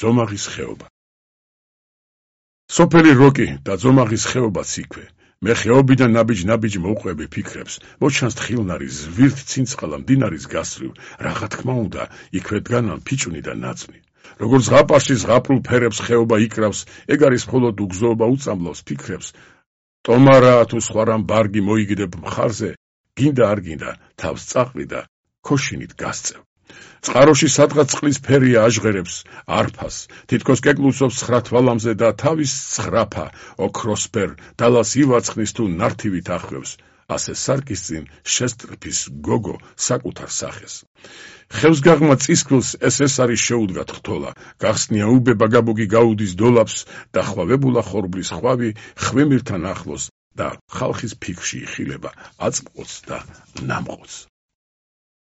ძომაღის ხეობა. სოფელი როკი და ძომაღის ხეობაც იქვე. მე ხეობიდან ნაბიჯ მოვყვები ფიქრებს, მოჩანს თხილნარი ზვირთ ცინცხალა მდინარის გასწვრივ, რა თქმა უნდა, იქვე დგანან ფიჭვნი და ნაწვნი. როგორც ზღაპარში ზღაპრულ ფერებს ხეობა იკრავს, ეგ არის მხოლოდ უგზოობა უწამლავს ფიქრებს. ტომარა თუ სხვა რამ ბარგი მოიგდებ მხარზე, გინდა არ გინდა, თავს წაყრი და ქოშინით გასწევ. წყაროში სადღაც წყლის ფერია აჟღერებს არფას, თითქოს კეკლუსობს ცხრა თვალამზე და თავის ცხრაფა ოქროსფერ დალას ივაცხნის თუ ნართივით ახვევს, ასე სარკის წინ შესტრფის გოგო საკუთარ სახეს. ხევსგაღმა წისქვილს ეს არის შეუდგა თხთოლა, გახსნია უბება გაბოგი გაუდის დოლაფს და ხვავებულა ხორბლის ხვავი ხვიმირთან ახლოს და ხალხის ფიქრში იხილება აწმყოც და ნამყოც.